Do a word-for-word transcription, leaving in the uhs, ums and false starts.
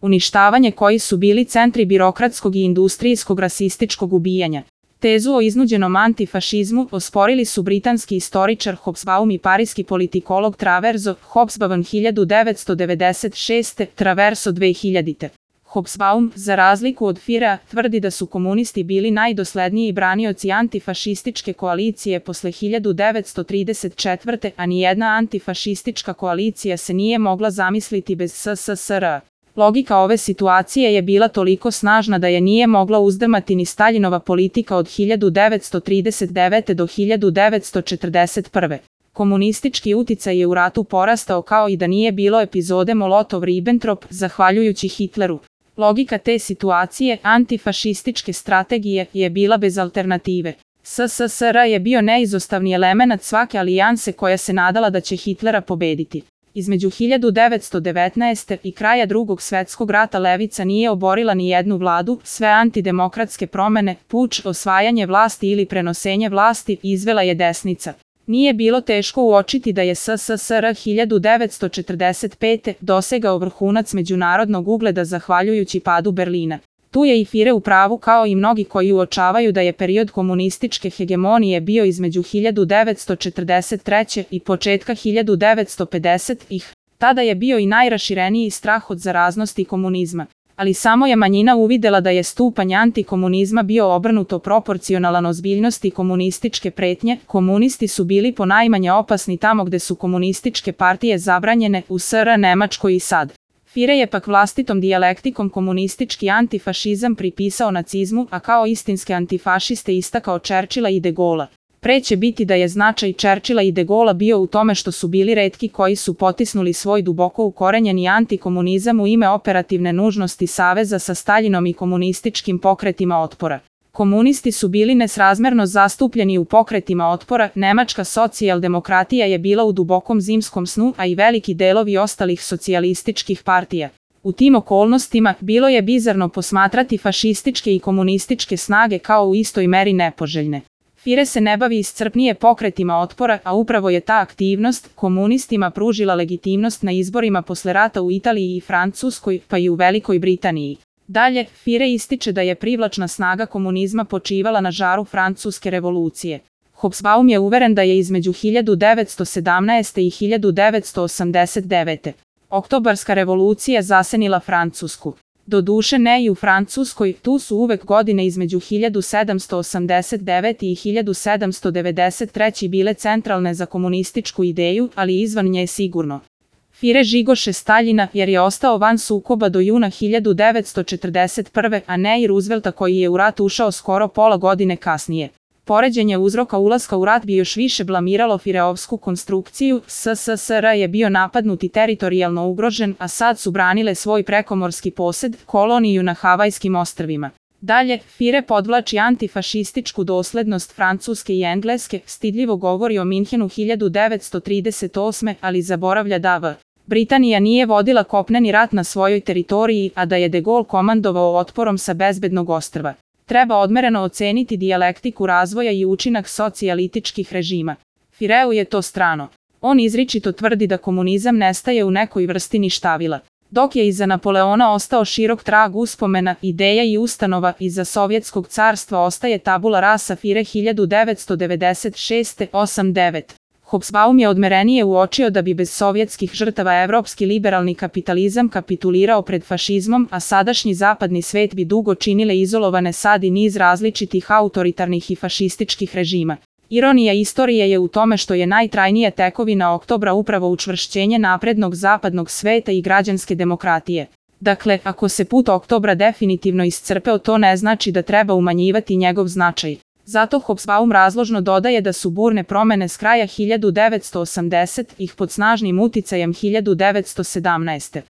uništavanje koji su bili centri birokratskog i industrijskog rasističkog ubijanja. Tezu o iznuđenom antifašizmu osporili su britanski istoričar Hobsbawm i parijski politikolog Traverso, Hobsbawm hiljadu devetsto devedeset šeste. Traverso dve hiljadite. Hobsbawm, za razliku od Firea, tvrdi da su komunisti bili najdosledniji branioci antifašističke koalicije posle hiljadu devetsto trideset četvrte. a nijedna antifašistička koalicija se nije mogla zamisliti bez S S S R. Logika ove situacije je bila toliko snažna da je nije mogla uzdrmati ni Staljinova politika od hiljadu devetsto trideset devete. do hiljadu devetsto četrdeset prve. Komunistički uticaj je u ratu porastao kao i da nije bilo epizode Molotov-Ribbentrop, zahvaljujući Hitleru. Logika te situacije, antifašističke strategije, je bila bez alternative. S S S R je bio neizostavni elemenat svake alijanse koja se nadala da će Hitlera pobediti. Između hiljadu devetsto devetnaeste. i kraja Drugog svetskog rata levica nije oborila ni jednu vladu, sve antidemokratske promene, puč, osvajanje vlasti ili prenosenje vlasti izvela je desnica. Nije bilo teško uočiti da je S S S R hiljadu devetsto četrdeset pete. dosegao vrhunac međunarodnog ugleda zahvaljujući padu Berlina. Tu je i Führer u pravu kao i mnogi koji uočavaju da je period komunističke hegemonije bio između hiljadu devetsto četrdeset treće. i početka hiljadu devetsto pedesetih. Tada je bio i najrašireniji strah od zaraznosti komunizma. Ali samo je manjina uvidela da je stupanj antikomunizma bio obrnuto proporcionalan ozbiljnosti komunističke pretnje. Komunisti su bili ponajmanje opasni tamo gde su komunističke partije zabranjene, u S R, Nemačkoj i SAD. Führer je pak vlastitom dijalektikom komunistički antifašizam pripisao nacizmu, a kao istinske antifašiste istakao Churchilla i de Gaulle'a. Pre će biti da je značaj Churchilla i de Gaulle'a bio u tome što su bili retki koji su potisnuli svoj duboko ukorenjeni antikomunizam u ime operativne nužnosti saveza sa Staljinom i komunističkim pokretima otpora. Komunisti su bili nesrazmerno zastupljeni u pokretima otpora, nemačka socijaldemokratija je bila u dubokom zimskom snu, a i veliki delovi ostalih socijalističkih partija. U tim okolnostima bilo je bizarno posmatrati fašističke i komunističke snage kao u istoj meri nepoželjne. Führer se ne bavi iscrpnije pokretima otpora, a upravo je ta aktivnost komunistima pružila legitimnost na izborima posle rata u Italiji i Francuskoj, pa i u Velikoj Britaniji. Dalje, Führer ističe da je privlačna snaga komunizma počivala na žaru Francuske revolucije. Hobsbawm je uveren da je između hiljadu devetsto sedamnaeste. i hiljadu devetsto osamdeset devete. Oktobarska revolucija zasenila Francusku. Doduše ne i u Francuskoj, tu su uvek godine između hiljadu sedamsto osamdeset devete. i hiljadu sedamsto devedeset treće. bile centralne za komunističku ideju, ali izvan nje sigurno. Führer žigoše Staljina jer je ostao van sukoba do juna hiljadu devetsto četrdeset prve. a ne i Roosevelta koji je u rat ušao skoro pola godine kasnije. Poređenje uzroka ulaska u rat bi još više blamiralo Führerovsku konstrukciju. S S S R je bio napadnut i teritorijalno ugrožen, a sad su branile svoj prekomorski posed, koloniju na Havajskim ostrvima. Dalje, Führer podvlači antifašističku doslednost Francuske i Engleske, stidljivo govori o Minhenu hiljadu devetsto trideset osme. ali zaboravlja da v. Britanija nije vodila kopneni rat na svojoj teritoriji, a da je de Gaulle komandovao otporom sa bezbednog ostrva. Treba odmereno oceniti dijalektiku razvoja i učinak socijalističkih režima. Führeru je to strano. On izričito tvrdi da komunizam nestaje u nekoj vrsti ništavila. Dok je iza Napoleona ostao širok trag uspomena, ideja i ustanova, iza Sovjetskog carstva ostaje tabula rasa. Führer hiljadu devetsto devedeset šeste. osam devet. Hobsbawm je odmerenije uočio da bi bez sovjetskih žrtava evropski liberalni kapitalizam kapitulirao pred fašizmom, a sadašnji zapadni svet bi dugo činile izolovane sad i niz različitih autoritarnih i fašističkih režima. Ironija istorije je u tome što je najtrajnija tekovina oktobra upravo učvršćenje naprednog zapadnog sveta i građanske demokratije. Dakle, ako se put oktobra definitivno iscrpeo, to ne znači da treba umanjivati njegov značaj. Zato Hobsbawm razložno dodaje da su burne promene s kraja hiljadu devetsto osamdesetih pod snažnim uticajem hiljadu devetsto sedamnaeste.